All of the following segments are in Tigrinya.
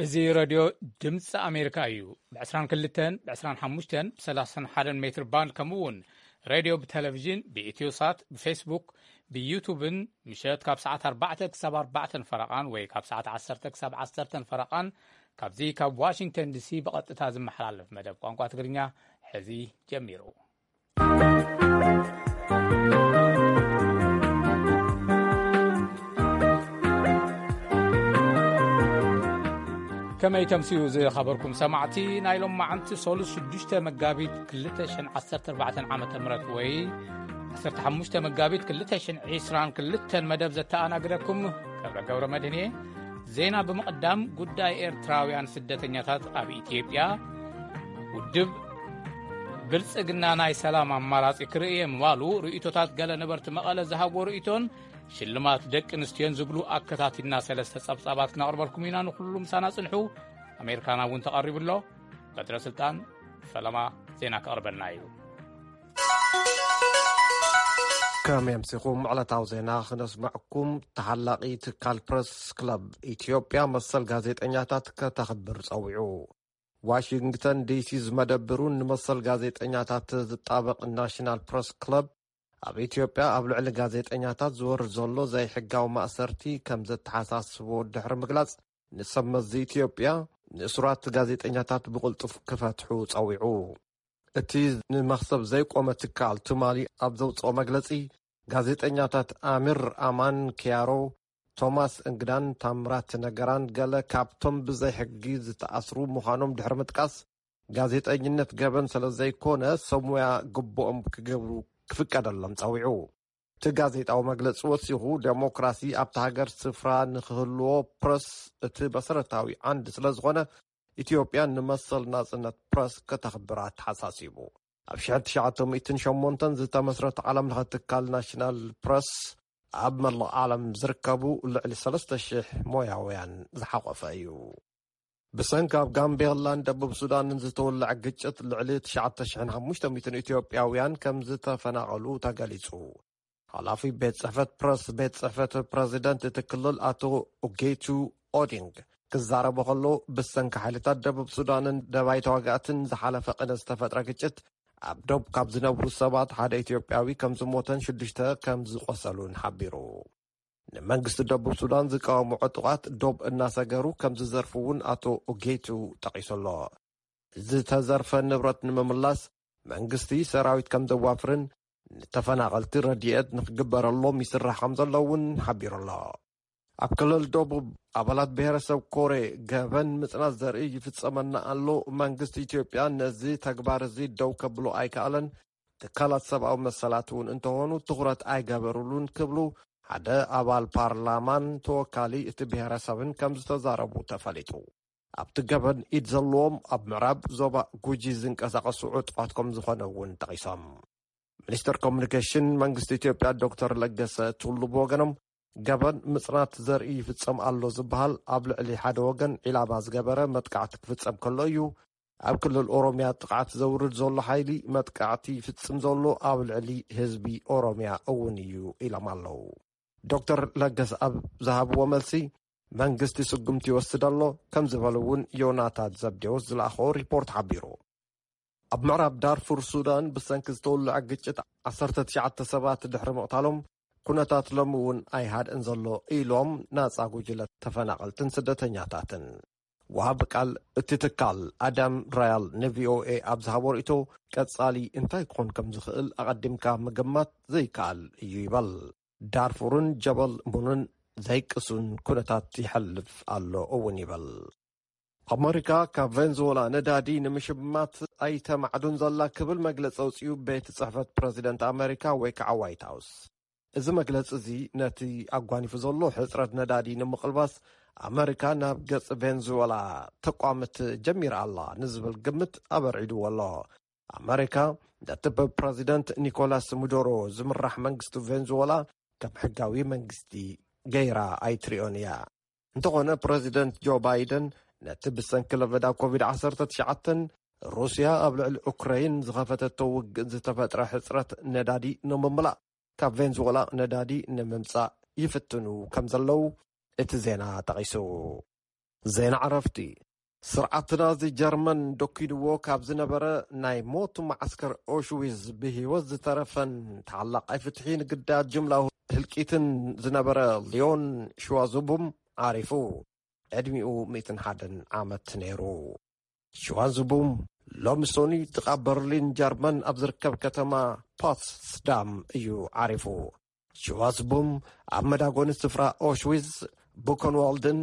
እዚ ሬድዮ ድምፂ ኣሜሪካ እዩ። ብ22፣ ብ25፣ ብ31 ሜትር ባንድ፣ ከምኡ እውን ሬድዮ ብቴሌቪዥን፣ ብኢትዮ ሳት፣ ብፌስቡክ፣ ብዩቱብን ምሸት ካብ ሰዓት ኣርባዕተ ክሳብ ኣርባዕተን ፈረቓን ወይ ካብ ሰዓት ዓሰርተ ክሳብ ዓሰርተን ፈረቓን ካብዚ ካብ ዋሽንግተን ዲሲ ብቐጥታ ዝመሓላለፍ መደብ ቋንቋ ትግርኛ ሕዚ ጀሚሩ። ከመይ ተምስዩ ዝኸበርኩም ሰማዕቲ፣ ናይ ሎም መዓንቲ ሶሉስ ሽዱሽተ መጋቢት ክልተ ሽሕን ዓሰርተ ኣርባዕተን ዓመተ ምህረት ወይ ዓሰርተ ሓሙሽተ መጋቢት ክልተ ሽሕን ዕስራን ክልተን መደብ ዘተኣናግደኩም ገብረ ገብረ መድህን እየ። ዜና ብምቕዳም፣ ጉዳይ ኤርትራውያን ስደተኛታት ኣብ ኢትዮጵያ፣ ውድብ ብልጽግና ናይ ሰላም ኣማራጺ ክርእየ ምባሉ፣ ርእይቶታት ገለ ነበርቲ መቐለ ዝሃብዎ ርእይቶን ሽልማት ደቂ ኣንስትዮን ዝብሉ ኣከታቲልና ሰለስተ ጸብጻባት ክነቕርበልኩም ኢና። ንኹሉ ምሳና ጽንሑ። ኣሜሪካና እውን ተቐሪቡ ኣሎ። በትረ ስልጣን ፈለማ ዜና ከቕርበልና እዩ። ከም የምሲኹም ዕለታዊ ዜና ክነስመዕኩም፣ ተሓላቒ ትካል ፕረስ ክለብ ኢትዮጵያ መሰል ጋዜጠኛታት ከተኽብር ጸዊዑ። ዋሽንግተን ዲሲ ዝመደብሩን ንመሰል ጋዜጠኛታት ዝጣበቕ ናሽናል ፕረስ ክለብ ኣብ ኢትዮጵያ ኣብ ልዕሊ ጋዜጠኛታት ዝወርድ ዘሎ ዘይሕጋዊ ማእሰርቲ ከም ዘተሓሳስቦ ድሕሪ ምግላጽ፣ ንሰብ መዚ ኢትዮጵያ ንእሱራት ጋዜጠኛታት ብቕልጡፍ ክፈትሑ ጸዊዑ። እቲ ንመኽሰብ ዘይቆመ ትካል ትማሊ ኣብ ዘውጽኦ መግለጺ፣ ጋዜጠኛታት ኣሚር ኣማን ኪያሮ፣ ቶማስ እንግዳን ታምራት ነገራን ገለ ካብቶም ብዘይ ሕጊ ዝተኣስሩ ምዃኖም ድሕሪ ምጥቃስ፣ ጋዜጠኝነት ገበን ስለ ዘይኮነ ሰብ ሞያ ግቡኦም ክገብሩ ክፍቀደሎም ጸዊዑ። እቲ ጋዜጣዊ መግለጺ ወሲኹ፣ ዴሞክራሲ ኣብታ ሃገር ስፍራ ንክህልዎ ፕረስ እቲ መሰረታዊ ዓንዲ ስለ ዝኾነ፣ ኢትዮጵያ ንመሰል ናጽነት ፕረስ ከተኽብር ኣተሓሳሲቡ። ኣብ ሽሕን ትሽዓተ ሚእትን ሸሞንተን ዝተመስረተ ዓለም ለኸ ትካል ናሽናል ፕረስ ኣብ መላእ ዓለም ዝርከቡ ልዕሊ ሰለስተ ሽሕ ሞያውያን ዝሓቖፈ እዩ። ብሰንኪ ኣብ ጋምቤላን ደቡብ ሱዳንን ዝተወልዐ ግጭት ልዕሊ ትሽዓተ ሽሕን ሓሙሽተ ሚእትን ኢትዮጵያውያን ከም ዝተፈናቐሉ ተገሊጹ። ሓላፊ ቤት ጽሕፈት ፕረስ ቤት ጽሕፈት ፕረዚደንት እቲ ክልል ኣቶ ኡጌቱ ኦዲንግ ክዛረቡ ከለዉ፣ ብሰንኪ ሓይልታት ደቡብ ሱዳንን ደባይ ተዋጋእትን ዝሓለፈ ቅነ ዝተፈጥረ ግጭት ኣብ ዶብ ካብ ዝነብሩ ሰባት ሓደ ኢትዮጵያዊ ከም ዝሞተን ሽዱሽተ ከም ዝቆሰሉን ሓቢሩ። ንመንግስቲ ደቡብ ሱዳን ዝቃወሙ ዕጡቓት ዶብ እናሰገሩ ከም ዝዘርፉ እውን ኣቶ ኡጌቱ ጠቒሱ ኣሎ። ዝተዘርፈ ንብረት ንምምላስ መንግስቲ ሰራዊት ከም ዘዋፍርን ንተፈናቐልቲ ረድኤት ንክግበረሎም ይስራሕ ከም ዘሎ እውን ሓቢሩ ኣሎ። ኣብ ክልል ደቡብ ኣባላት ብሔረሰብ ኮሬ ገበን ምጽናት ዘርኢ ይፍጸመና ኣሎ። መንግስቲ ኢትዮጵያ ነዚ ተግባር እዚ ደው ከብሎ ኣይከኣለን። ትካላት ሰብኣዊ መሰላት እውን እንተኾኑ ትኹረት ኣይገበሩሉን ክብሉ ሓደ ኣባል ፓርላማን ተወካሊ እቲ ብሔረሰብን ከም ዝተዛረቡ ተፈሊጡ። ኣብቲ ገበን ኢድ ዘለዎም ኣብ ምዕራብ ዞባ ጉጂ ዝንቀሳቐሱ ዕጡቓት ከም ዝኾነ እውን ጠቒሶም። ሚኒስትር ኮሙኒኬሽን መንግስቲ ኢትዮጵያ ዶክተር ለገሰ ቱሉ ብወገኖም፣ ገበን ምጽናት ዘርኢ ይፍጸም ኣሎ ዝበሃል ኣብ ልዕሊ ሓደ ወገን ዒላማ ዝገበረ መጥቃዕቲ ክፍጸም ከሎ እዩ። ኣብ ክልል ኦሮምያ ጥቕዓት ዘውርድ ዘሎ ሓይሊ መጥቃዕቲ ይፍጽም ዘሎ ኣብ ልዕሊ ህዝቢ ኦሮምያ እውን እዩ ኢሎም ኣለዉ። ዶክተር ለገሰ ኣብ ዝሃብዎ መልሲ፣ መንግስቲ ስጉምቲ ይወስድ ኣሎ ከም ዝበሉ እውን ዮናታን ዘብዴዎስ ዝለኣኾ ሪፖርት ሓቢሩ። ኣብ ምዕራብ ዳርፉር ሱዳን ብሰንኪ ዝተወልዐ ግጭት ዓሰርተ ትሽዓተ ሰባት ድሕሪ ምቕታሎም፣ ኩነታት ሎሚ እውን ኣይሃድእን ዘሎ ኢሎም ናጻ ጉጅለ ተፈናቐልትን ስደተኛታትን። ወሃቢ ቃል እቲ ትካል ኣዳም ራያል ንቪኦኤ ኣብ ዝሃቦ ርእይቶ፣ ቀጻሊ እንታይ ክኾን ከም ዝኽእል ኣቐዲምካ ምግማት ዘይከኣል እዩ ይበል። ዳርፉርን ጀበል ሙንን ዘይቅሱን ኩነታት ይሐልፍ ኣሎ እውን ይበል። ኣመሪካ ካብ ቬንዙዌላ ነዳዲ ንምሽማት ኣይተማዕዱን ዘላ ክብል መግለጺ ኣውጺኡ ቤት ጽሕፈት ፕረዚደንት ኣመሪካ ወይ ከዓ ዋይት ሃውስ። እዚ መግለጺ እዚ ነቲ ኣጓኒፉ ዘሎ ሕጽረት ነዳዲ ንምቕልባስ ኣመሪካ ናብ ገጽ ቬንዙዌላ ተቋምት ጀሚራ ኣላ ንዝብል ግምት ኣበርዒድዎ ኣሎ። ኣመሪካ ነቲ ብፕረዚደንት ኒኮላስ ሙዶሮ ዝምራሕ መንግስቲ ቬንዙዌላ ከም ሕጋዊ መንግስቲ ገይራ ኣይትሪኦን እያ። እንተኾነ ፕረዚደንት ጆ ባይደን ነቲ ብሰንኪ ለበዳ ኮቪድ ዓሰርተ ትሽዓተን ሩስያ ኣብ ልዕሊ ኡክራይን ዝኸፈተቶ ውግእ ዝተፈጥረ ሕጽረት ነዳዲ ንምምላእ ካብ ቬንዙዌላ ነዳዲ ንምምጻእ ይፍትኑ ከም ዘለዉ እቲ ዜና ጠቒሱ። ዜና ዕረፍቲ። ስርዓት ናዚ ጀርመን ደኪንዎ ካብ ዝነበረ ናይ ሞት መዓስከር ኦሽዊዝ ብህይወት ዝተረፈን ተዓላቓይ ፍትሒ ንግዳያት ጅምላዊ ህልቂትን ዝነበረ ሊዮን ሽዋዙቡም ዓሪፉ። ዕድሚኡ ሚእትን ሓደን ዓመት ነይሩ። ሽዋዙቡም ሎሚ ሶኒ ጥቓ በርሊን ጀርመን ኣብ ዝርከብ ከተማ ፖትስዳም እዩ ዓሪፉ። ሽዋዝቡም ኣብ መዳጎኒ ስፍራ ኦሽዊዝ፣ ቡከንዋልድን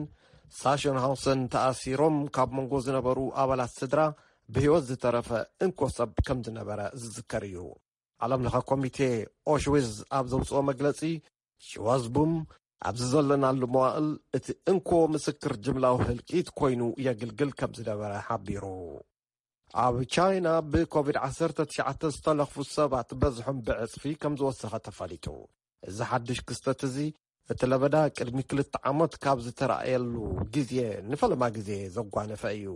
ሳሸንሃውሰን ተኣሲሮም ካብ መንጎ ዝነበሩ ኣባላት ስድራ ብህይወት ዝተረፈ እንኮ ሰብ ከም ዝነበረ ዝዝከር እዩ። ዓለም ለኸ ኮሚቴ ኦሽዊዝ ኣብ ዘውፅኦ መግለፂ፣ ሽዋዝቡም ኣብዚ ዘለናሉ መዋእል እቲ እንኮ ምስክር ጅምላዊ ህልቂት ኮይኑ የግልግል ከም ዝነበረ ሓቢሩ። ኣብ ቻይና ብኮቪድ ዓሰርተ ትሽዓተ ዝተለኽፉ ሰባት በዝሖም ብዕጽፊ ከም ዝወሰኸ ተፈሊጡ። እዚ ሓድሽ ክስተት እዚ እቲ ለበዳ ቅድሚ ክልተ ዓመት ካብ ዝተራእየሉ ግዜ ንፈለማ ግዜ ዘጓነፈ እዩ።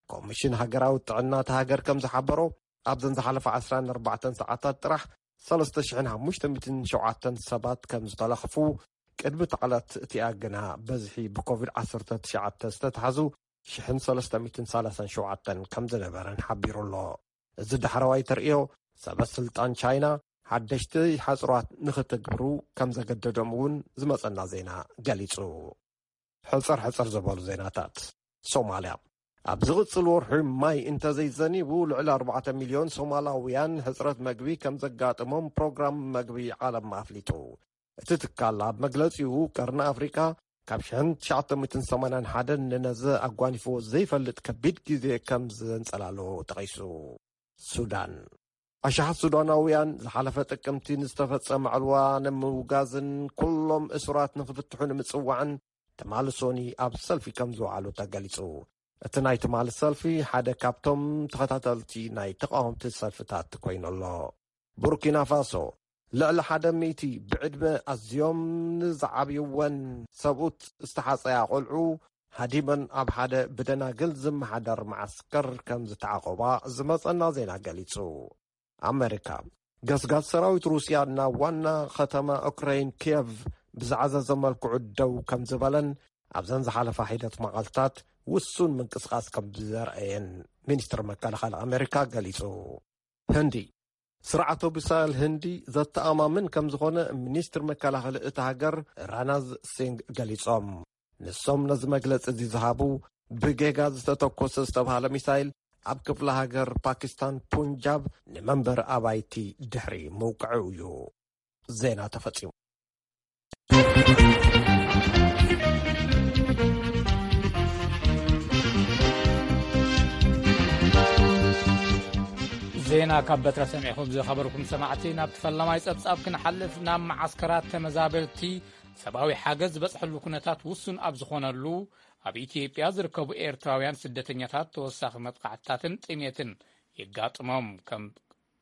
ኮሚሽን ሃገራዊ ጥዕና እታ ሃገር ከም ዝሓበሮ ኣብዘን ዝሓለፈ ዓሰርተ ኣርባዕተ ሰዓታት ጥራሕ ሰለስተ ሽሕን ሓሙሽተ ሚእትን ሸውዓተን ሰባት ከም ዝተለኽፉ፣ ቅድሚ እቲ ዕለት እቲኣ ግና በዝሒ ብኮቪድ ዓሰርተ ትሽዓተ ዝተታሕዙ ሽሕን ሰለስተ ሚእትን ሰላሳን ሸውዓተን ከም ዝነበረን ሓቢሩ ኣሎ። እዚ ዳሕረዋይ ተርእዮ ሰበ ስልጣን ቻይና ሓደሽቲ ሓጽራት ንኽትግብሩ ከም ዘገደዶም እውን ዝመጸና ዜና ገሊጹ። ሕጽር ሕጽር ዝበሉ ዜናታት። ሶማልያ። ኣብ ዝቕጽል ወርሒ ማይ እንተዘይዘኒቡ ልዕሊ ኣርባዕተ ሚልዮን ሶማላውያን ሕጽረት መግቢ ከም ዘጋጥሞም ፕሮግራም መግቢ ዓለም ኣፍሊጡ። እቲ ትካል ኣብ መግለጺኡ ቀርኒ ኣፍሪቃ ካብ ሽሕን ትሽዓተ ሚእትን ሰማንያን ሓደን ንነዘ ኣጓኒፍዎ ዘይፈልጥ ከቢድ ግዜ ከም ዘንጸላሎ ጠቒሱ። ሱዳን። ኣሽሓት ሱዳናውያን ዝሓለፈ ጥቅምቲ ንዝተፈጸመ ዕልዋ ንምውጋዝን ኩሎም እሱራት ንኽፍትሑ ንምጽዋዕን ትማሊ ሶኒ ኣብ ሰልፊ ከም ዝወዓሉ ተገሊጹ። እቲ ናይ ትማሊ ሰልፊ ሓደ ካብቶም ተኸታተልቲ ናይ ተቃወምቲ ሰልፍታት ኮይኑ ኣሎ። ቡርኪና ፋሶ። ልዕሊ ሓደ ሚእቲ ብዕድመ ኣዝዮም ንዝዓብይወን ሰብኡት ዝተሓጸያ ቆልዑ ሃዲመን ኣብ ሓደ ብደናግል ዝመሓደር መዓስከር ከም ዝተዓቆባ ዝመጸና ዜና ገሊጹ። ኣመሪካ። ገስጋስ ሰራዊት ሩስያ ናብ ዋና ከተማ ኡክራይን ኪየቭ ብዝዓዘዘ መልክዑ ደው ከም ዝበለን ኣብዘን ዝሓለፋ ሒደት መዓልታት ውሱን ምንቅስቃስ ከም ዘርአየን ሚኒስትር መከላኸሊ ኣመሪካ ገሊጹ። ህንዲ። ስርዓት ኦቢሳል ህንዲ ዘተኣማምን ከም ዝኾነ ሚኒስትር መከላኸሊ እታ ሃገር ራናዝ ሲንግ ገሊጾም። ንሶም ነዚ መግለጺ እዚ ዝሃቡ ብጌጋ ዝተተኮሰ ዝተባሃለ ሚሳይል ኣብ ክፍለ ሃገር ፓኪስታን ፑንጃብ ንመንበሪ ኣባይቲ ድሕሪ ምውቅዑ እዩ። ዜና ተፈጺሙ። ዜና ካብ በትረ ሰሚዕኹም ዝኸበርኩም ሰማዕቲ፣ ናብ ፈላማይ ጸብጻብ ክንሓልፍ፣ ናብ መዓስከራት ተመዛበልቲ ሰብኣዊ ሓገዝ ዝበጽሐሉ ኩነታት ውሱን ኣብ ዝኾነሉ፣ ኣብ ኢትዮጵያ ዝርከቡ ኤርትራውያን ስደተኛታት ተወሳኺ መጥቃዕትታትን ጥሜትን የጋጥሞም ከም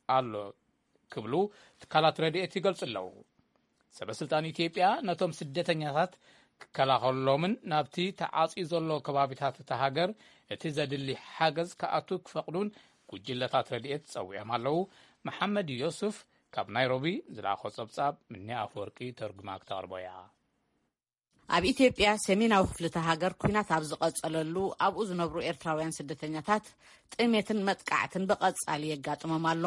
ኣሎ ክብሉ ትካላት ረድኤት ይገልጹ ኣለዉ። ሰበ ስልጣን ኢትዮጵያ ነቶም ስደተኛታት ክከላኸልሎምን ናብቲ ተዓጽዩ ዘሎ ከባቢታት እታ ሃገር እቲ ዘድሊ ሓገዝ ክኣቱ ክፈቕዱን ጉጅለታት ረድኤት ጸዊዖም ኣለዉ። መሓመድ ዮሱፍ ካብ ናይሮቢ ዝለኣኾ ጸብጻብ ምኒ ኣፈወርቂ ተርጉማ ክተቕርቦ እያ። ኣብ ኢትዮጵያ ሰሜናዊ ክፍሊ እታ ሃገር ኲናት ኣብ ዝቐጸለሉ፣ ኣብኡ ዝነብሩ ኤርትራውያን ስደተኛታት ጥሜትን መጥቃዕትን ብቐጻሊ የጋጥሞም ኣሎ።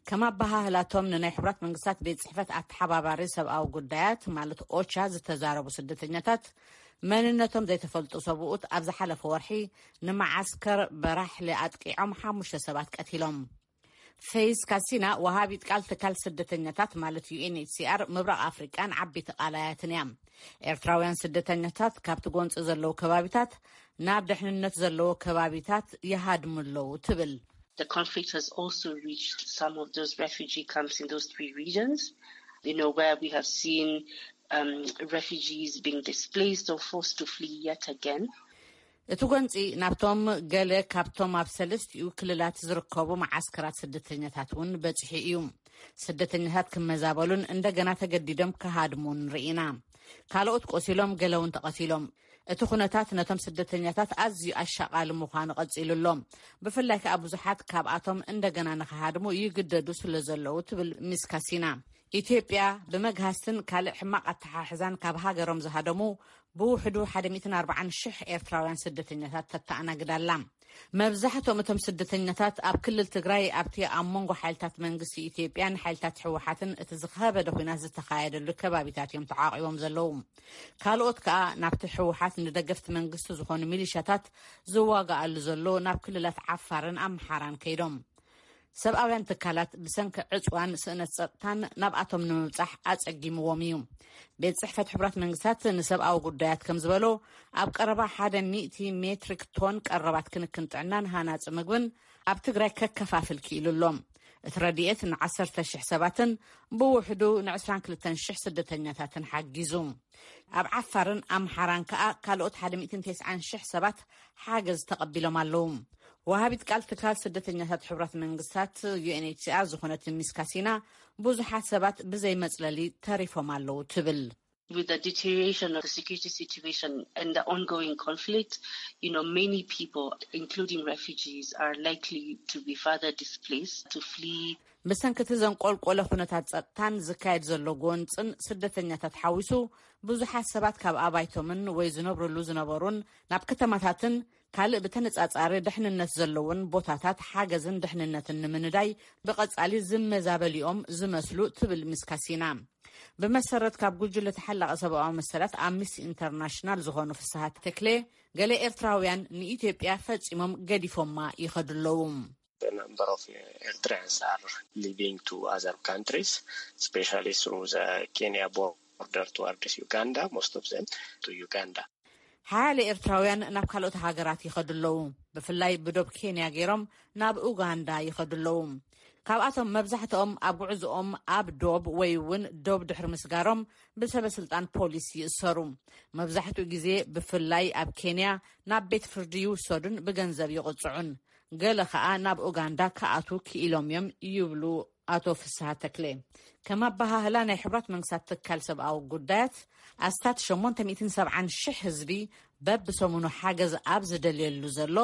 ከም ኣበሃህላቶም ንናይ ሕቡራት መንግስታት ቤት ጽሕፈት ኣተሓባባሪ ሰብኣዊ ጉዳያት ማለት ኦቻ ዝተዛረቡ ስደተኛታት፣ መንነቶም ዘይተፈልጡ ሰብኡት ኣብ ዝሓለፈ ወርሒ ንመዓስከር በራሕሊ ኣጥቂዖም ሓሙሽተ ሰባት ቀቲሎም። ፌይዝ ካሲና፣ ወሃቢት ቃል ትካል ስደተኛታት ማለት ዩ ኤን ኤች ሲ ኣር ምብራቕ ኣፍሪቃን ዓበይቲ ቃላያትን እያ። ኤርትራውያን ስደተኛታት ካብቲ ጎንፂ ዘለዉ ከባቢታት ናብ ድሕንነት ዘለዎ ከባቢታት ይሃድሙ ኣለዉ ትብል። The conflict has also reached some of those refugee camps in those three regions, you know, where we have seen um, refugees being displaced or forced to flee yet again. እቲ ጎንፂ ናብቶም ገለ ካብቶም ኣብ ሰለስቲኡ ክልላት ዝርከቡ መዓስከራት ስደተኛታት እውን በፂሑ እዩ። ስደተኛታት ክመዛበሉን እንደገና ተገዲዶም ክሃድሙን ርኢና። ካልኦት ቆሲሎም፣ ገለ እውን ተቐቲሎም። እቲ ኩነታት ነቶም ስደተኛታት ኣዝዩ ኣሻቓሊ ምዃኑ ቀፂሉ ኣሎ። ብፍላይ ከኣ ብዙሓት ካብኣቶም እንደገና ንኽሃድሙ ይግደዱ ስለ ዘለዉ ትብል ሚስ ካሲና። ኢትዮጵያ ብመግሃስትን ካልእ ሕማቕ ኣተሓሕዛን ካብ ሃገሮም ዝሃደሙ ብውሕዱ ሓደ ሚእትን ኣርባዓን ሽሕ ኤርትራውያን ስደተኛታት ተተኣናግድ ኣላ። መብዛሕትኦም እቶም ስደተኛታት ኣብ ክልል ትግራይ ኣብቲ ኣብ መንጎ ሓይልታት መንግስቲ ኢትዮጵያን ሓይልታት ህወሓትን እቲ ዝኸበደ ኲናት ዝተኻየደሉ ከባቢታት እዮም ተዓቒቦም ዘለዉ። ካልኦት ከኣ ናብቲ ህወሓት ንደገፍቲ መንግስቲ ዝኾኑ ሚሊሻታት ዝዋጋኣሉ ዘሎ ናብ ክልላት ዓፋርን ኣምሓራን ከይዶም። ሰብኣውያን ትካላት ብሰንኪ ዕጽዋን ስእነት ጸጥታን ናብኣቶም ንምብጻሕ ኣጸጊምዎም እዩ። ቤት ጽሕፈት ሕቡራት መንግስታት ንሰብኣዊ ጉዳያት ከም ዝበሎ፣ ኣብ ቀረባ ሓደ ሚእቲ ሜትሪክ ቶን ቀረባት ክንክን ጥዕናን ሃናጺ ምግብን ኣብ ትግራይ ከከፋፍል ክኢሉ ኣሎ። እቲ ረድኤት ንዓሰርተ ሽሕ ሰባትን ብውሕዱ ንዕስራን ክልተን ሽሕ ስደተኛታትን ሓጊዙ። ኣብ ዓፋርን ኣምሓራን ከኣ ካልኦት ሓደ ሚእትን ተስዓን ሽሕ ሰባት ሓገዝ ተቐቢሎም ኣለዉ። ወሃቢት ቃል ትካል ስደተኛታት ሕቡራት መንግስታት፣ ዩ ኤን ኤች ሲ ኣር፣ ዝኾነት ሚስ ካሲና፣ ብዙሓት ሰባት ብዘይ መጽለሊ ተሪፎም ኣለዉ ትብል። With the deterioration of the security situation and the ongoing conflict, you know, many people, including refugees, are likely to be further displaced, to flee. ብሰንኪ እቲ ዘንቆልቆለ ኩነታት ጸጥታን ዝካየድ ዘሎ ጎንጽን ስደተኛታት ሓዊሱ ብዙሓት ሰባት ካብ ኣባይቶምን ወይ ዝነብርሉ ዝነበሩን ናብ ከተማታትን ካልእ ብተነጻጻሪ ድሕንነት ዘለውን ቦታታት ሓገዝን ድሕንነትን ንምንዳይ ብቐጻሊ ዝመዛበሊኦም ዝመስሉ ትብል ሚስ ካሲና። ብመሰረት ካብ ጉጅለ ተሓላቒ ሰብኣዊ መሰላት ኣምኒስቲ ኢንተርናሽናል ዝኾኑ ፍስሃ ተክሌ፣ ገለ ኤርትራውያን ንኢትዮጵያ ፈጺሞም ገዲፎማ ይኸዱ ኣለዉ። The number of Eritreans are leaving to other countries, especially through the Kenya border towards Uganda, most of them to Uganda. ሓያለ ኤርትራውያን ናብ ካልኦት ሃገራት ይኸዱ ኣለዉ። ብፍላይ ብዶብ ኬንያ ገይሮም ናብ ኡጋንዳ ይኸዱ ኣለዉ። ካብኣቶም መብዛሕትኦም ኣብ ጉዕዝኦም ኣብ ዶብ ወይ እውን ዶብ ድሕሪ ምስጋሮም ብሰበ ስልጣን ፖሊስ ይእሰሩ። መብዛሕትኡ ግዜ ብፍላይ ኣብ ኬንያ ናብ ቤት ፍርዲ ይውሰዱን ብገንዘብ ይቕጽዑን። ገለ ከኣ ናብ ኡጋንዳ ክኣትዉ ክኢሎም እዮም ይብሉ ኣቶ ፍስሃ ተክለ። ከም ኣበሃህላ ናይ ሕቡራት መንግስታት ትካል ሰብኣዊ ጉዳያት፣ ኣስታት ሸሞንተ ሚእትን ሰብዓን ሽሕ ህዝቢ በብሰሙኑ ሓገዝ ኣብ ዝደልየሉ ዘሎ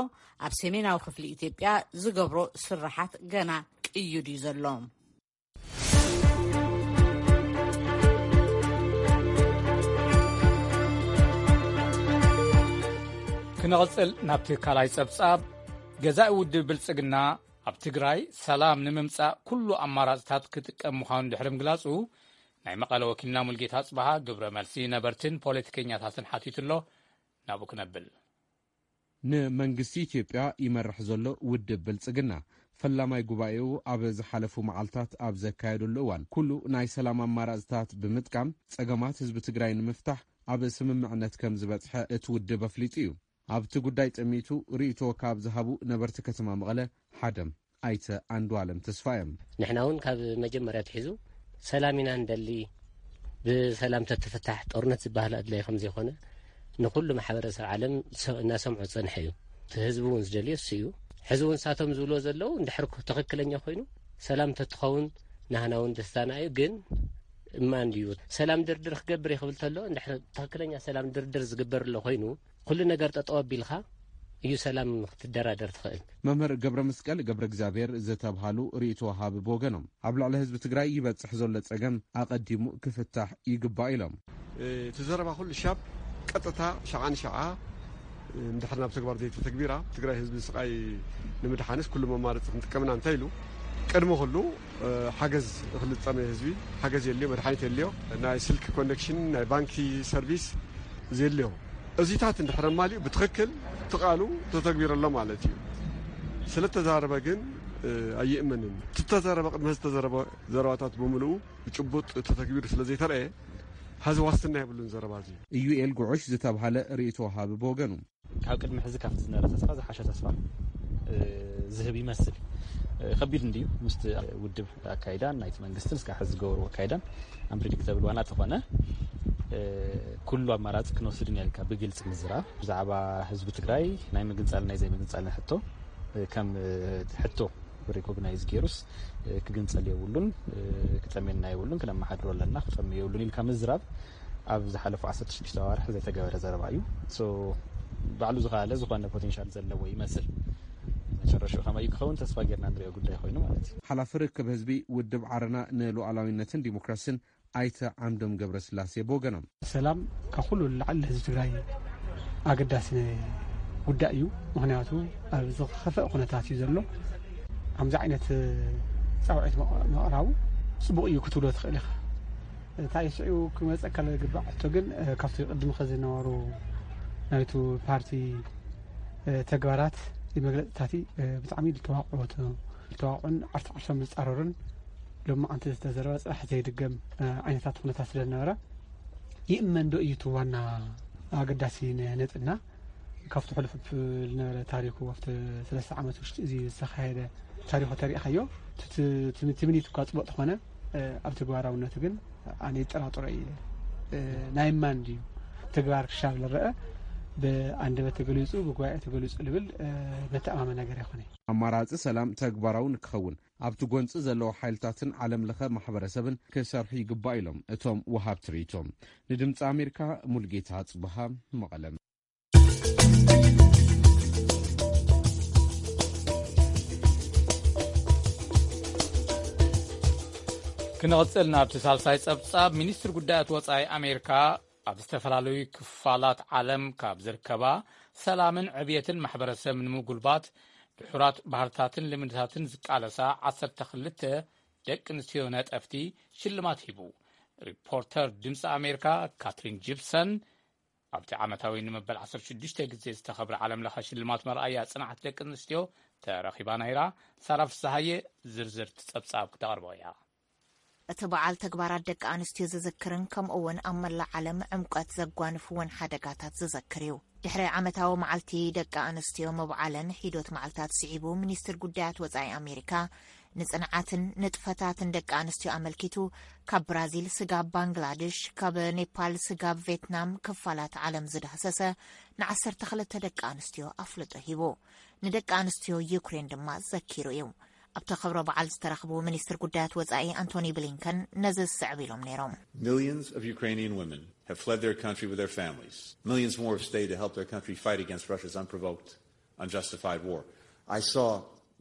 ኣብ ሰሜናዊ ክፍሊ ኢትዮጵያ ዝገብሮ ስራሓት ገና ቅዩድ እዩ ዘሎ። ክንቕጽል ናብቲ ካልኣይ ጸብጻብ። ገዛኢ ውድብ ብልጽግና ኣብ ትግራይ ሰላም ንምምጻእ ኩሉ ኣማራጽታት ክጥቀም ምዃኑ ድሕሪ ምግላጹ፣ ናይ መቐለ ወኪልና ሙልጌታ ኣጽብሃ ግብረ መልሲ ነበርትን ፖለቲከኛታትን ሓቲቱ ኣሎ። ናብኡ ክነብል። ንመንግስቲ ኢትዮጵያ ይመርሕ ዘሎ ውድብ ብልጽግና፣ ፈላማይ ጉባኤኡ ኣብ ዝሓለፉ መዓልታት ኣብ ዘካየደሉ እዋን፣ ኩሉ ናይ ሰላም ኣማራጽታት ብምጥቃም ጸገማት ህዝቢ ትግራይ ንምፍታሕ ኣብ ስምምዕነት ከም ዝበጽሐ እቲ ውድብ ኣፍሊጡ እዩ። ኣብቲ ጉዳይ ጠሚቱ ርእይቶ ካብ ዝሃቡ ነበርቲ ከተማ መቐለ ሓደ ኣይተ ኣንዱኣለም ተስፋ እዮም። ንሕና እውን ካብ መጀመርያ ኣትሒዙ ሰላም ኢና ንደሊ፣ ብሰላም ተትፍታሕ ጦርነት ዝበሃል ኣድላይ ከም ዘይኮነ ንኩሉ ማሕበረሰብ ዓለም እናሰምዖ ዝፀንሐ እዩ። እቲ ህዝቢ እውን ዝደልዮ እሱ እዩ። ሕዚ እውን ንሳቶም ዝብልዎ ዘለዉ እንድሕር ትኽክለኛ ኮይኑ ሰላም ተትኸውን ናህና እውን ደስታና እዩ። ግን እማ እንድዩ ሰላም ድርድር ክገብር ይኽብል ተሎ እንድሕር ትኽክለኛ ሰላም ድርድር ዝግበር ኣሎ ኮይኑ ኩሉ ነገር ጠጠው ኣቢልካ እዩ ሰላም ክትደራደር ትኽእል። መምህር ገብረ መስቀል ገብረ እግዚኣብሔር ዝተብሃሉ ርእይቶ ወሃቢ ብወገኖም፣ ኣብ ልዕሊ ህዝቢ ትግራይ ይበፅሕ ዘሎ ፀገም ኣቐዲሙ ክፍታሕ ይግባእ ኢሎም። እቲ ዘረባ ኩሉ ሻብ ቀጥታ ሸዓ ንሸዓ እንድሕር ናብ ተግባር ዘይተተግቢራ ትግራይ ህዝቢ ስቃይ ንምድሓንስ ኩሉ መማረፂ ክንጥቀምና እንታይ ኢሉ ቅድሚ ኩሉ ሓገዝ እኽሊ ዝፀመየ ህዝቢ ሓገዝ የድልዮ፣ መድሓኒት የድልዮ፣ ናይ ስልኪ ኮኔክሽን፣ ናይ ባንኪ ሰርቪስ፣ ዘድልዮ እዚታት እንድሕር ኣማሊኡ ብትኽክል እቲ ቃሉ ተተግቢሩ ኣሎ ማለት እዩ። ስለተዛረበ ግን ኣይእመንን። እቲ ተዛረበ ቅድሚ ዝተዘረበ ዘረባታት ብምልኡ ብጭቡጥ ተተግቢሩ ስለዘይተረእየ ሀዚ ዋስትና የብሉን ዘረባ እዚ። ኢዩኤል ጉዑሽ ዝተብሃለ ርእይቶ ወሃቢ ብወገኑ ካብ ቅድሚ ሕዚ ካብቲ ዝነበረ ተስፋ ዝሓሸ ተስፋ ዝህብ ይመስል። ከቢድ እንድዩ ምስቲ ውድብ ኣካይዳን ናይቲ መንግስትን እስካብ ሕዚ ዝገበርዎ ኣካይዳን ኣምፕሪዲክተብል ዋላ እንተኾነ ኩሉ ኣማራፂ ክንወስድ ኢና ኢልካ ብግልፂ ምዝራብ ብዛዕባ ህዝቢ ትግራይ ናይ ምግንፃልን ናይ ዘይምግንፃልን ሕቶ ከም ሕቶ ሪኮግናይዝ ገይሩስ ክግንፀል የብሉን፣ ክጠምየና የብሉን፣ ክነመሓድሮ ኣለና፣ ክጠምዮ የብሉን ኢልካ ምዝራብ ኣብ ዝሓለፉ ዓሰርተ ሽዱሽተ ኣዋርሕ ዘይተገበረ ዘረባ እዩ። ባዕሉ ዝኸኣለ ዝኾነ ፖቴንሻል ዘለዎ ይመስል። መጨረሻው ከመይ ክኸውን ተስፋ ጌርና ንሪኦ ጉዳይ ኮይኑ ማለት እዩ። ሓላፊ ርክብ ህዝቢ ውድብ ዓረና ንሉዓላዊነትን ዲሞክራሲን ኣይተ ዓምዶም ገብረስላሴ ብወገኖም፣ ሰላም ካብ ኩሉ ንላዕሊ ህዝቢ ትግራይ ኣገዳሲ ጉዳይ እዩ። ምክንያቱ ኣብ ዝኸፈእ ኩነታት እዩ ዘሎ። ከምዚ ዓይነት ፃውዒት ምቕራቡ ፅቡቕ እዩ ክትብሎ ትኽእል ኢኻ። እንታይ ስዒቡ ክመፀካ ዝግባእ ሕቶ ግን ካብቲ ቅድሚ ከ ዝነበሩ ናይቱ ፓርቲ ተግባራት መግለፅታቲ ብጣዕሚ ዝተዋቕዑ ዝተዋቕዑን ዓርሶም ዝፃረሩን ሎማዓንቲ ዝተዘረበ ፅባሕ ዘይድገም ዓይነታት ኩነታት ስለዝነበረ ይእመን ዶ እዩ እቲ ዋና ኣገዳሲ ነጥብና? ካብቲ ሕሉፍ ዝነበረ ታሪኩ ኣብቲ ሰለስተ ዓመት ውሽጢ እዚ ዝተኻየደ ታሪኩ ተሪእኻዮ ትምኒት እኳ ፅቡቅ ተኾነ ኣብ ተግባራውነቱ ግን ኣነ ይጠራጥሮ እየ። ናይ ማን ድዩ ተግባር ክሻብ ዝረአ ብኣንደበት ተገሊፁ ብጉባኤ ተገሊፁ ልብል መተኣማመ ነገር ኣይኮነ። ኣማራፂ ሰላም ተግባራዊ ንክኸውን ኣብቲ ጎንፂ ዘለዉ ሓይልታትን ዓለም ለኸ ማሕበረሰብን ክሰርሑ ይግባእ ኢሎም እቶም ወሃብቲ ርእይቶ። ንድምፂ ኣሜሪካ ሙልጌታ ኣፅብሃ መቐለ። ክንቕፅል ናብቲ ሳልሳይ ፀብፃብ። ሚኒስትር ጉዳያት ወፃኢ ኣሜሪካ ኣብ ዝተፈላለዩ ክፋላት ዓለም ካብ ዝርከባ ሰላምን ዕብየትን ማሕበረሰብ ንምጉልባት ድሑራት ባህርታትን ልምድታትን ዝቃለሳ ዓሰርተ ክልተ ደቂ ኣንስትዮ ነጠፍቲ ሽልማት ሂቡ። ሪፖርተር ድምፂ ኣሜሪካ ካትሪን ጂፕሰን ኣብቲ ዓመታዊ ንመበል ዓሰርተ ሽዱሽተ ግዜ ዝተኸብረ ዓለም ለኸ ሽልማት መርኣያ ጽንዓት ደቂ ኣንስትዮ ተረኺባ ነይራ። ሳራ ፍስሃየ ዝርዝር ጸብጻብ ክተቕርቦ እያ። እቲ በዓል ተግባራት ደቂ ኣንስትዮ ዝዝክርን ከምኡ እውን ኣብ መላእ ዓለም ዕምቀት ዘጓንፍዎን ሓደጋታት ዝዘክር እዩ። ድሕሪ ዓመታዊ መዓልቲ ደቂ ኣንስትዮ ምብዓለን ሒዶት መዓልታት ስዒቡ፣ ሚኒስትር ጉዳያት ወጻኢ ኣሜሪካ ንጽንዓትን ንጥፈታትን ደቂ ኣንስትዮ ኣመልኪቱ ካብ ብራዚል ስጋብ ባንግላድሽ፣ ካብ ኔፓል ስጋብ ቬትናም ክፋላት ዓለም ዝዳህሰሰ ንዓሰርተ ክልተ ደቂ ኣንስትዮ ኣፍልጦ ሂቡ። ንደቂ ኣንስትዮ ዩክሬን ድማ ዘኪሩ እዩ። ኣብቲ ክብረ በዓል ዝተረኽቡ ሚኒስትር ጉዳያት ወጻኢ ኣንቶኒ ብሊንከን ነዚ ዝስዕብ ኢሎም ነይሮም። Millions of Ukrainian women have fled their country with their families. Millions more have stayed to help their country fight against Russia's unprovoked, unjustified war. I saw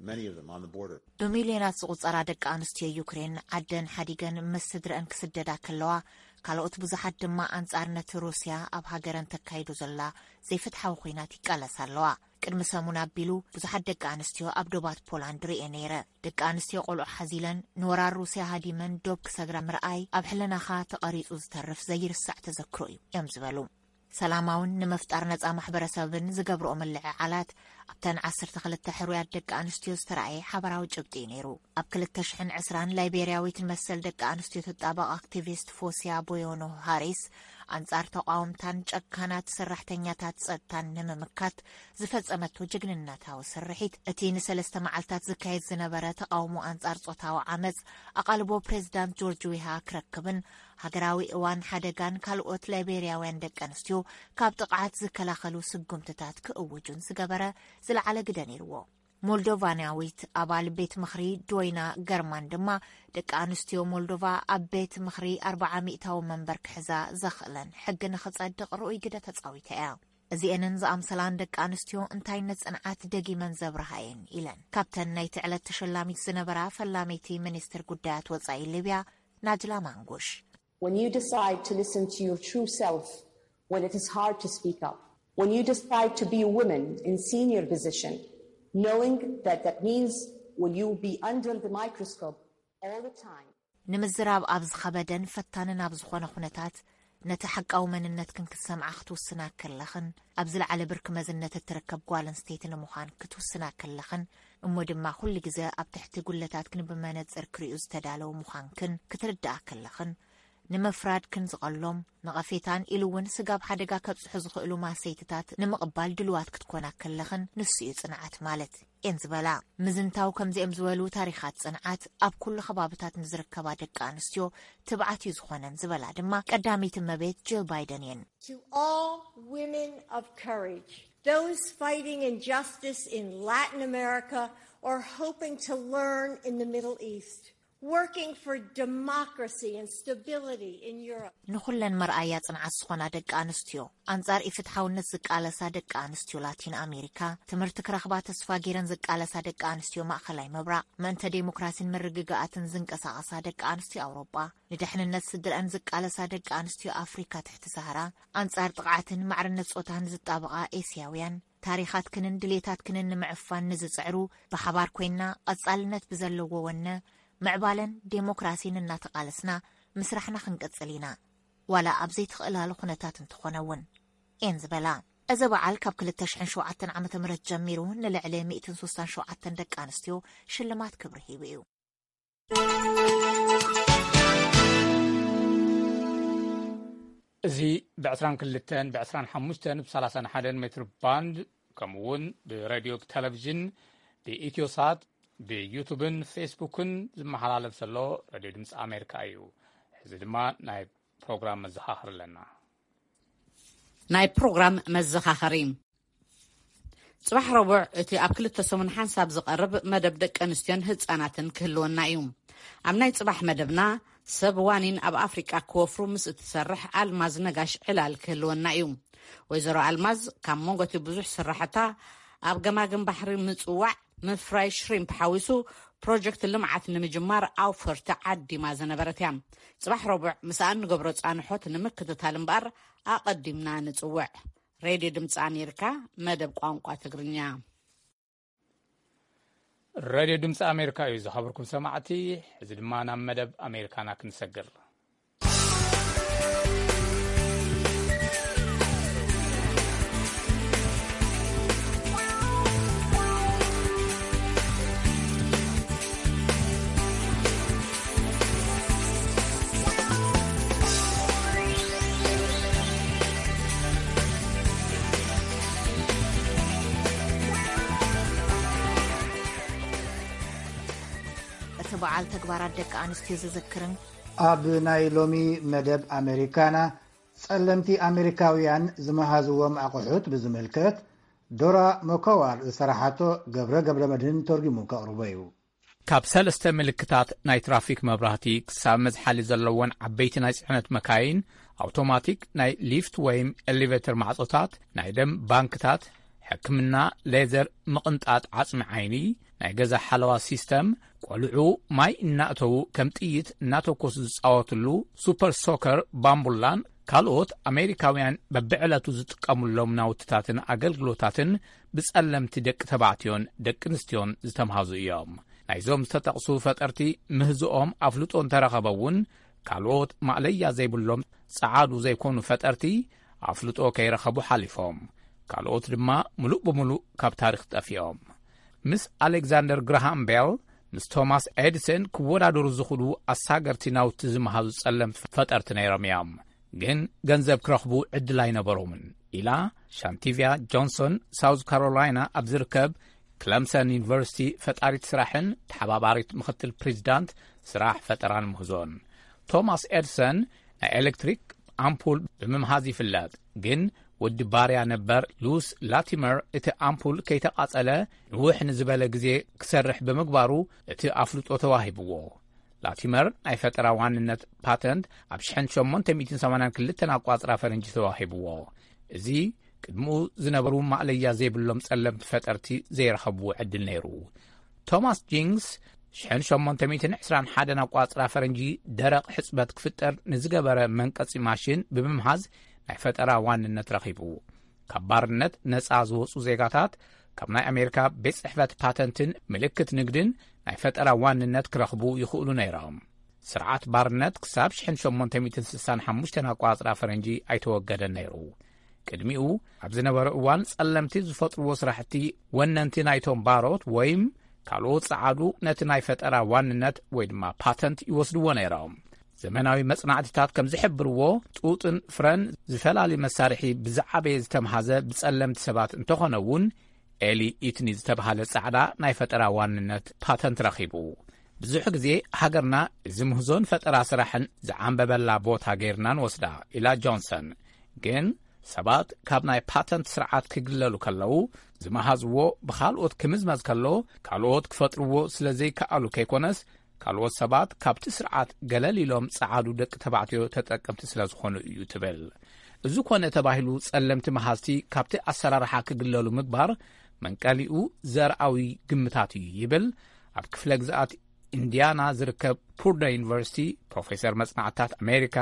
many of them on the border. ብሚልዮናት ዝቑጸራ ደቂ ኣንስትዮ ዩክሬን ዓደን ሓዲገን ምስ ስድረአን ክስደዳ ከለዋ፣ ካልኦት ብዙሓት ድማ ኣንጻር ነቲ ሩስያ ኣብ ሃገረን ተካይዶ ዘላ ዘይፍትሓዊ ኲናት ይቃለሳ ኣለዋ። ቅድሚ ሰሙን ኣቢሉ ብዙሓት ደቂ ኣንስትዮ ኣብ ዶባት ፖላንድ ርእየ ነይረ። ደቂ ኣንስትዮ ቆልዑ ሓዚለን ንወራር ሩስያ ሃዲመን ዶብ ክሰግራ ምርኣይ ኣብ ሕልናኻ ተቐሪጹ ዝተርፍ ዘይርሳዕ ተዘክሮ እዩ እዮም ዝበሉ። ሰላማውን ንምፍጣር ነጻ ማሕበረሰብን ዝገብርኦ ምልዕዓላት ኣብተን ዓሰርተ ክልተ ሕሩያት ደቂ ኣንስትዮ ዝተራእየ ሓበራዊ ጭብጢ እዩ ነይሩ። ኣብ ክልተ ሽሕን ዕስራን ላይቤርያዊት መሰል ደቂ ኣንስትዮ ትጣበቕ ኣክቲቪስት ፎሲያ ቦዮኖ ሃሪስ ኣንጻር ተቓወምታን ጨካናት ሰራሕተኛታት ጸጥታን ንምምካት ዝፈጸመቶ ጅግንነታዊ ስርሒት፣ እቲ ንሰለስተ መዓልታት ዝካየድ ዝነበረ ተቓውሞ ኣንጻር ጾታዊ ዓመጽ ኣቓልቦ ፕሬዚዳንት ጆርጅ ዊሃ ክረክብን ሃገራዊ እዋን ሓደጋን ካልኦት ላይቤርያውያን ደቂ ኣንስትዮ ካብ ጥቕዓት ዝከላኸሉ ስጉምትታት ክእውጁን ዝገበረ ዝለዓለ ግደ ነይርዎ። ሞልዶቫናዊት ኣባል ቤት ምኽሪ ዶይና ገርማን ድማ፣ ደቂ ኣንስትዮ ሞልዶቫ ኣብ ቤት ምኽሪ ኣርብዓ ሚእታዊ መንበር ክሕዛ ዘኽእለን ሕጊ ንኽጸድቕ ርኡይ ግደ ተጻዊታ እያ። እዚኤንን ዝኣምሰላን ደቂ ኣንስትዮ እንታይነት ጽንዓት ደጊመን ዘብርሃ እየን ኢለን። ካብተን ናይቲ ዕለት ተሸላሚት ዝነበራ ፈላመይቲ ሚኒስትር ጉዳያት ወጻኢ ሊብያ ናጅላ ማንጉሽ። When you decide to listen to your true self, when it is hard to speak up, when you decide to be a woman in senior position, knowing that that means will you be under the microscope all the time. ንምዝራብ ኣብ ዝኸበደን ፈታንን ኣብ ዝኾነ ኩነታት፣ ነቲ ሓቃዊ መንነትክን ክትሰምዓ ክትውስና ከለኽን፣ ኣብ ዝለዓለ ብርኪ መዝነት እትርከብ ጓል ኣንስተይቲ ንምዃን ክትውስና ከለኽን፣ እሞ ድማ ኩሉ ግዜ ኣብ ትሕቲ ጉለታትክን ብመነጽር ክሪኡ ዝተዳለዉ ምዃንክን ክትርድኣ ከለኽን፣ ንምፍራድክን ዝቐሎም፣ ነቐፌታን ኢሉ እውን ስጋብ ሓደጋ ከብጽሑ ዝኽእሉ ማሰይትታት ንምቕባል ድልዋት ክትኮና ከለኽን፣ ንሱ እዩ ጽንዓት ማለት እየን ዝበላ። ምዝንታው ከምዚኦም ዝበሉ ታሪኻት ጽንዓት ኣብ ኩሉ ከባብታት ንዝርከባ ደቂ ኣንስትዮ ትብዓት እዩ ዝኾነን ዝበላ ድማ ቀዳመይቲ እመቤት ጂል ባይደን እየን። To all women of courage, those fighting injustice in Latin America or hoping to learn in the Middle East, Working for democracy and stability in Europe. ንኹለን መርኣያ ጽንዓት ዝኾና ደቂ ኣንስትዮ፣ ኣንጻር ኢፍትሓውነት ዝቃለሳ ደቂ ኣንስትዮ ላቲን ኣሜሪካ፣ ትምህርቲ ክረኽባ ተስፋ ገይረን ዝቃለሳ ደቂ ኣንስትዮ ማእኸላይ ምብራቕ፣ ምእንተ ዴሞክራሲን ምርግጋኣትን ዝንቀሳቐሳ ደቂ ኣንስትዮ ኣውሮጳ፣ ንድሕንነት ስድረአን ዝቃለሳ ደቂ ኣንስትዮ ኣፍሪካ ትሕቲ ሰሃራ፣ ኣንጻር ጥቕዓትን ማዕርነት ጾታን ዝጣበቓ ኤስያውያን፣ ታሪኻትክንን ድሌታትክንን ንምዕፋን ንዝጽዕሩ፣ ብሓባር ኮይንና ቀጻልነት ብዘለዎ ወነ፣ ምዕባለን ዴሞክራሲን እናተቓለስና ምስራሕና ክንቅጽል ኢና። ዋላ ኣብ ዘይትኽእላሉ ኩነታት እንተኾነ እውን፣ እየን ዝበላ። እዚ በዓል ካብ ክልተ ሽሕን ሸውዓተን ዓመተ ምህረት ጀሚሩ ንልዕሊ ሚእትን ስሳን ሸውዓተን ደቂ ኣንስትዮ ሽልማት ክብሪ ሂቡ እዩ። እዚ ብ ዕስራን ክልተን፣ ብ ዕስራን ሓሙሽተን፣ ብ ሰላሳን ሓደን ሜትር ባንድ፣ ከምኡ እውን ብሬድዮ፣ ብቴሌቪዥን፣ ብኢትዮሳት፣ ብዩቱብን ፌስቡክን ዝመሓላለፍ ዘሎ ሬድዮ ድምፂ ኣሜሪካ እዩ። ሕዚ ድማ ናይ ፕሮግራም መዘኻኸሪ ኣለና። ናይ ፕሮግራም መዘኻኸሪ። ጽባሕ ረቡዕ እቲ ኣብ ክልተ ሰሙን ሓንሳብ ዝቐርብ መደብ ደቂ ኣንስትዮን ህጻናትን ክህልወና እዩ። ኣብ ናይ ጽባሕ መደብና ሰብ ዋኒን ኣብ ኣፍሪቃ ክወፍሩ ምስ እትሰርሕ ኣልማዝ ነጋሽ ዕላል ክህልወና እዩ። ወይዘሮ ኣልማዝ ካብ መንጎ እቲ ብዙሕ ስራሕታ ኣብ ገማግም ባሕሪ ምጽዋዕ ምፍራይ ሽሪምፕ ሓዊሱ ፕሮጀክት ልምዓት ንምጅማር ኣውፈርቲ ዓዲማ ዝነበረት እያ። ጽባሕ ረቡዕ ምስኣ እንገብሮ ጻንሖት ንምክትታል እምበኣር ኣቐዲምና ንጽውዕ። ሬድዮ ድምፂ ኣሜሪካ መደብ ቋንቋ ትግርኛ። ሬድዮ ድምፂ ኣሜሪካ እዩ ዝኸበርኩም ሰማዕቲ። ሕዚ ድማ ናብ መደብ ኣሜሪካና ክንሰግር። እቲ በዓል ተግባራት ደቂ ኣንስትዮ ዝዝክርን ኣብ ናይ ሎሚ መደብ ኣሜሪካና፣ ጸለምቲ ኣሜሪካውያን ዝመሃዝዎም ኣቑሑት ብዝምልከት፣ ዶራ መኮዋር ዝሰራሓቶ ገብረ ገብረ መድህን ተርጉሙ ከቕርቦ እዩ። ካብ ሰለስተ ምልክታት ናይ ትራፊክ መብራህቲ ክሳብ መዝሓሊ ዘለወን ዓበይቲ ናይ ጽዕነት መካይን፣ ኣውቶማቲክ ናይ ሊፍት ወይም ኤሌቬተር ማዕጾታት፣ ናይ ደም ባንክታት፣ ሕክምና፣ ሌዘር፣ ምቕንጣጥ ዓጽሚ ዓይኒ፣ ናይ ገዛ ሓለዋ ሲስተም፣ ቆልዑ ማይ እናእተዉ ከም ጥይት እናተኮሱ ዝጻወትሉ ሱፐር ሶከር ባምቡላን ካልኦት ኣሜሪካውያን በብዕለቱ ዝጥቀሙሎም ናውትታትን ኣገልግሎታትን ብጸለምቲ ደቂ ተባዕትዮን ደቂ ኣንስትዮን ዝተምሃዙ እዮም። ናይዞም ዝተጠቕሱ ፈጠርቲ ምህዝኦም ኣፍልጦ እንተረኸበ እውን፣ ካልኦት ማእለያ ዘይብሎም ጸዓዱ ዘይኮኑ ፈጠርቲ ኣፍልጦ ከይረኸቡ ሓሊፎም፣ ካልኦት ድማ ምሉእ ብምሉእ ካብ ታሪኽ ጠፊኦም። ምስ ኣሌክዛንደር ግራሃም ቤል፣ ምስ ቶማስ ኤዲሰን ክወዳደሩ ዝኽእሉ ኣሳገርቲ ናውቲ ዝመሃዙ ጸለምቲ ፈጠርቲ ነይሮም እዮም። ግን ገንዘብ ክረኽቡ ዕድል ኣይነበሮምን ኢላ ሻንቲቪያ ጆንሶን፣ ሳውዝ ካሮላይና ኣብ ዝርከብ ክለምሰን ዩኒቨርሲቲ ፈጣሪት ስራሕን ተሓባባሪት ምኽትል ፕሬዚዳንት ስራሕ ፈጠራን ምህዞን። ቶማስ ኤድሰን ናይ ኤሌክትሪክ ኣምፑል ብምምሃዝ ይፍለጥ፣ ግን ወዲ ባርያ ነበር ሉስ ላቲመር እቲ ኣምፑል ከይተቓጸለ ንውሕ ንዝበለ ግዜ ክሰርሕ ብምግባሩ እቲ ኣፍልጦ ተዋሂብዎ። ላቲመር ናይ ፈጠራ ዋንነት ፓተንት ኣብ ሽሕን ሸሞንተ ሚእትን ሰማንያን ክልተን ኣቋጽራ ፈረንጂ ተዋሂብዎ። እዚ ቅድምኡ ዝነበሩ ማእለያ ዘይብሎም ጸለምቲ ፈጠርቲ ዘይረኸብዎ ዕድል ነይሩ። ቶማስ ጂንግስ ሽሕን ሸሞንተ ሚእትን ዕስራን ሓደን ኣቋጽራ ፈረንጂ ደረቕ ሕጽበት ክፍጠር ንዝገበረ መንቀጺ ማሽን ብምምሃዝ ናይ ፈጠራ ዋንነት ረኺቡ። ካብ ባርነት ነጻ ዝወጹ ዜጋታት ካብ ናይ ኣሜሪካ ቤት ጽሕፈት ፓተንትን ምልክት ንግድን ናይ ፈጠራ ዋንነት ክረኽቡ ይኽእሉ ነይሮም። ስርዓት ባርነት ክሳብ ሽሕን ሸሞንተ ሚእትን ስሳን ሓሙሽተን ኣቋጽራ ፈረንጂ ኣይተወገደን ነይሩ። ቅድሚኡ ኣብ ዝነበረ እዋን ጸለምቲ ዝፈጥርዎ ስራሕቲ ወነንቲ ናይቶም ባሮት ወይም ካልኦት ጸዓዱ ነቲ ናይ ፈጠራ ዋንነት ወይ ድማ ፓተንት ይወስድዎ ነይሮም። ዘመናዊ መጽናዕትታት ከም ዝሕብርዎ፣ ጡጥን ፍረን ዝፈላሊ መሳርሒ ብዝዓበየ ዝተምሃዘ ብጸለምቲ ሰባት እንተኾነ እውን፣ ኤሊ ኢትኒ ዝተባህለ ጻዕዳ ናይ ፈጠራ ዋንነት ፓተንት ረኺቡ። ብዙሕ ግዜ ሃገርና እዚ ምህዞን ፈጠራ ስራሕን ዝዓንበበላ ቦታ ገይርና ንወስዳ ኢላ ጆንሰን። ግን ሰባት ካብ ናይ ፓተንት ስርዓት ክግለሉ ከለዉ ዝመሃዝዎ ብኻልኦት ክምዝመዝ ከሎ፣ ካልኦት ክፈጥርዎ ስለ ዘይከኣሉ ከይኮነስ፣ ካልኦት ሰባት ካብቲ ስርዓት ገለል ኢሎም ጸዓዱ ደቂ ተባዕትዮ ተጠቀምቲ ስለ ዝኾኑ እዩ ትብል። እዚ ኮነ ተባሂሉ ጸለምቲ መሃዝቲ ካብቲ ኣሰራርሓ ክግለሉ ምግባር መንቀሊኡ ዘርኣዊ ግምታት እዩ ይብል ኣብ ክፍለ ግዝኣት ኢንዲያና ዝርከብ ፑርዶ ዩኒቨርሲቲ ፕሮፌሰር መጽናዕታት ኣሜሪካ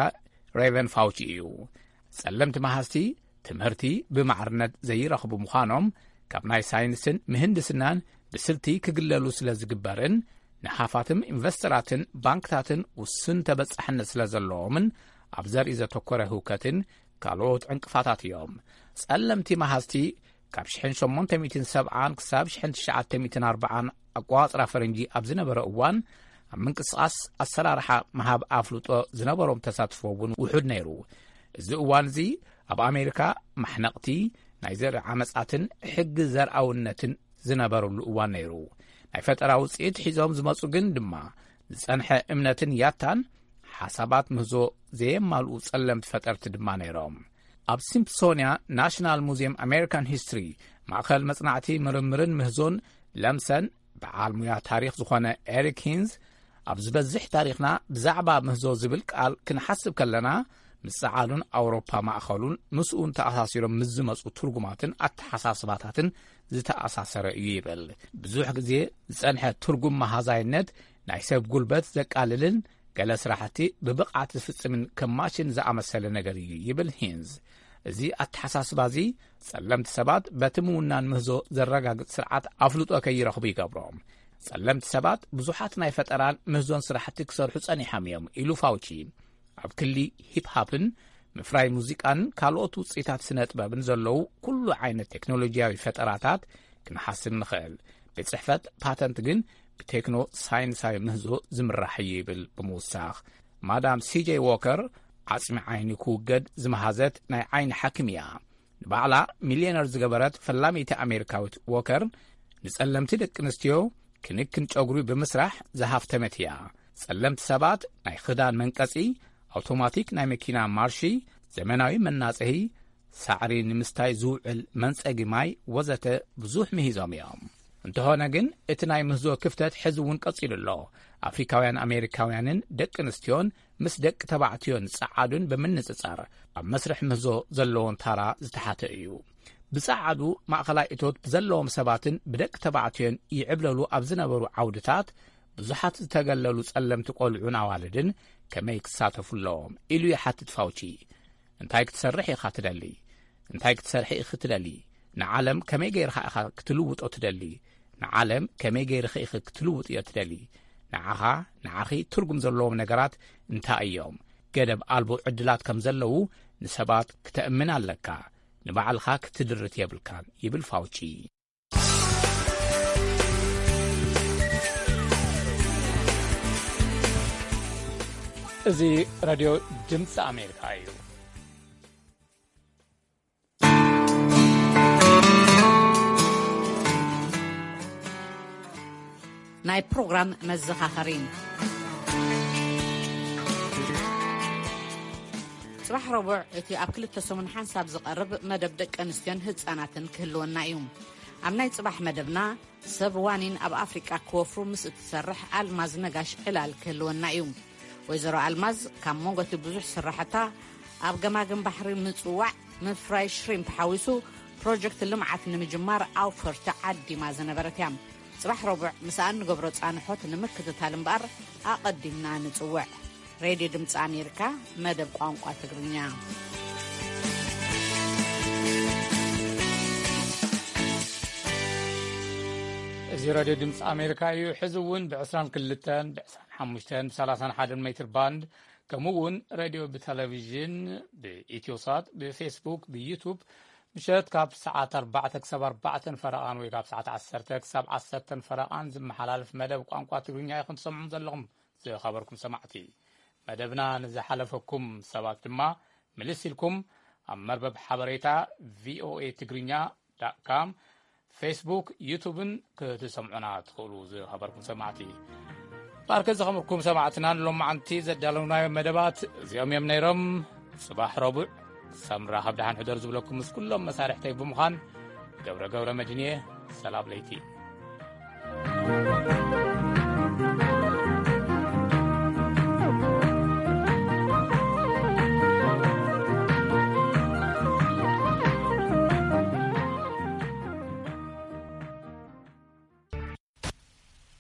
ሬቨን ፋውቺ እዩ። ጸለምቲ መሃዝቲ ትምህርቲ ብማዕርነት ዘይረኽቡ ምዃኖም ካብ ናይ ሳይንስን ምህንድስናን ብስልቲ ክግለሉ ስለ ዝግበርን ንሃፋትም ኢንቨስተራትን ባንክታትን ውሱን ተበጻሕነት ስለ ዘለዎምን ኣብ ዘርኢ ዘተኮረ ህውከትን ካልኦት ዕንቅፋታት እዮም። ጸለምቲ መሃዝቲ ካብ ሸሞንተ ሚእትን ሰብዓን ክሳብ ትሽዓተ ሚእትን ኣርባዓን ኣቋጽራ ፈረንጂ ኣብ ዝነበረ እዋን ኣብ ምንቅስቓስ ኣሰራርሓ ምሃብ ኣፍልጦ ዝነበሮም ተሳትፎ እውን ውሑድ ነይሩ። እዚ እዋን እዚ ኣብ ኣሜሪካ ማሕነቕቲ ናይ ዘርኢ ዓመጻትን ሕጊ ዘርኣውነትን ዝነበረሉ እዋን ነይሩ። ናይ ፈጠራ ውጽኢት ሒዞም ዝመጹ ግን ድማ ዝጸንሐ እምነትን ያታን ሓሳባት ምህዞ ዘየማልኡ ጸለምቲ ፈጠርቲ ድማ ነይሮም። ኣብ ሲምፕሶንያ ናሽናል ሙዚየም ኣሜሪካን ሂስትሪ ማእኸል መጽናዕቲ ምርምርን ምህዞን ለምሰን በዓል ሙያ ታሪኽ ዝኾነ ኤሪክ ሂንዝ ኣብ ዝበዝሕ ታሪኽና ብዛዕባ ምህዞ ዝብል ቃል ክንሓስብ ከለና ምስ ጸዓዱን ኣውሮፓ ማእኸሉን ምስኡን ተኣሳሲሮም ምስ ዝመጹ ትርጉማትን ኣተሓሳስባታትን ዝተኣሳሰረ እዩ ይብል። ብዙሕ ግዜ ዝጸንሐ ትርጉም መሃዛይነት ናይ ሰብ ጉልበት ዘቃልልን ገለ ስራሕቲ ብብቕዓት ዝፍጽምን ከም ማሽን ዝኣመሰለ ነገር እዩ ይብል ሂንዝ። እዚ ኣተሓሳስባ እዚ ጸለምቲ ሰባት በቲ ምውናን ምህዞ ዘረጋግጽ ስርዓት ኣፍልጦ ከይረኽቡ ይገብሮም። ጸለምቲ ሰባት ብዙሓት ናይ ፈጠራን ምህዞን ስራሕቲ ክሰርሑ ጸኒሖም እዮም ኢሉ ፋውቺ። ኣብ ክሊ ሂፕሃፕን ምፍራይ ሙዚቃን ካልኦት ውፅኢታት ስነ ጥበብን ዘለዉ ኩሉ ዓይነት ቴክኖሎጂያዊ ፈጠራታት ክንሓስብ ንኽእል። ቤት ጽሕፈት ፓተንት ግን ብቴክኖ ሳይንሳዊ ምህዞ ዝምራሕ እዩ ይብል ብምውሳኽ። ማዳም ሲጄይ ዎከር ዓጽሚ ዓይኒ ክውገድ ዝመሃዘት ናይ ዓይኒ ሓኪም እያ። ንባዕላ ሚልዮነር ዝገበረት ፈላመይቲ ኣሜሪካዊት ዎከር ንጸለምቲ ደቂ ኣንስትዮ ክንክን ጨጉሪ ብምስራሕ ዝሃፍተመት እያ። ጸለምቲ ሰባት ናይ ክዳን መንቀጺ፣ ኣውቶማቲክ ናይ መኪና ማርሺ፣ ዘመናዊ መናጽሂ፣ ሳዕሪ ንምስታይ ዝውዕል መንጸጊ ማይ ወዘተ ብዙሕ ምሂዞም እዮም። እንተኾነ ግን እቲ ናይ ምህዞ ክፍተት ሕዚ እውን ቀጺሉ ኣሎ። ኣፍሪካውያን ኣሜሪካውያንን ደቂ ኣንስትዮን ምስ ደቂ ተባዕትዮን ጸዓዱን ብምንጽጻር ኣብ መስርሕ ምህዞ ዘለዎም ታራ ዝተሓተ እዩ። ብጸዓዱ ማእኸላይ እቶት ብዘለዎም ሰባትን ብደቂ ተባዕትዮን ይዕብለሉ ኣብ ዝነበሩ ዓውድታት ብዙሓት ዝተገለሉ ጸለምቲ ቆልዑን ኣዋልድን ከመይ ክሳተፉ ኣለዎም ኢሉ ይሓትት ፋውቺ። እንታይ ክትሰርሕ ኢኻ ትደሊ? እንታይ ክትሰርሒ ኢኺ ትደሊ? ንዓለም ከመይ ገይርኻ ኢኻ ክትልውጦ ትደሊ? ንዓለም ከመይ ገይርኺ ኢኺ ክትልውጥዮ ትደሊ? ንዓኻ፣ ንዓኺ ትርጉም ዘለዎም ነገራት እንታይ እዮም? ገደብ ኣልቦ ዕድላት ከም ዘለዉ ንሰባት ክተእምን ኣለካ። ንባዕልኻ ክትድርት የብልካን ይብል ፋውቺ። እዚ ሬድዮ ድምፂ ኣሜሪካ እዩ። ናይ ፕሮግራም መዘኻኸሪ። ጽባሕ ረቡዕ እቲ ኣብ ክልተ ሰሙን ሓንሳብ ዝቐርብ መደብ ደቂ ኣንስትዮን ህጻናትን ክህልወና እዩ። ኣብ ናይ ጽባሕ መደብና ሰብ ዋኒን ኣብ ኣፍሪቃ ክወፍሩ ምስ እትሰርሕ ኣልማዝ ነጋሽ ዕላል ክህልወና እዩ። ወይዘሮ ኣልማዝ ካብ መንጎ እቲ ብዙሕ ስራሕታ ኣብ ገማግም ባሕሪ ምጽዋዕ ምፍራይ ሽሪምፕ ሓዊሱ ፕሮጀክት ልምዓት ንምጅማር ኣውፈርቲ ዓዲማ ዝነበረት እያ። ጽባሕ ረቡዕ ምስኣ እንገብሮ ጻንሖት ንምክትታል እምበኣር ኣቐዲምና ንጽውዕ። ሬድዮ ድምፂ ኣሜሪካ መደብ ቋንቋ ትግርኛ። እዚ ሬድዮ ድምፂ ኣሜሪካ እዩ። ሕዚ እውን ብ22፣ ብ25፣ ብ31 ሜትር ባንድ፣ ከምኡ እውን ሬድዮ ብቴሌቪዥን፣ ብኢትዮሳት፣ ብፌስቡክ፣ ብዩቱብ፣ ምሸት ካብ ሰዓት ኣርባዕተ ክሳብ ኣርባዕተን ፈረቓን ወይ ካብ ሰዓት ዓሰርተ ክሳብ ዓሰርተን ፈረቓን ዝመሓላለፍ መደብ ቋንቋ ትግርኛ ኢኹም ትሰምዑ ዘለኹም ዝኸበርኩም ሰማዕቲ። መደብና ንዝሓለፈኩም ሰባት ድማ ምልስ ኢልኩም ኣብ መርበብ ሓበሬታ ቪኦኤ ትግርኛ ዳት ካም፣ ፌስቡክ፣ ዩቱብን ክትሰምዑና ትኽእሉ ዝኸበርኩም ሰማዕቲ። ባርከ ዝኸበርኩም ሰማዕትና ንሎማዓንቲ ዘዳለውናዮ መደባት እዚኦም እዮም ነይሮም። ጽባሕ ረቡዕ ክሳብ ንራኸብ ደሓን ሕደር ዝብለኩም ምስ ኩሎም መሳርሕተይ ብምዃን ገብረ ገብረ መድህን እየ። ሰላም ለይቲ።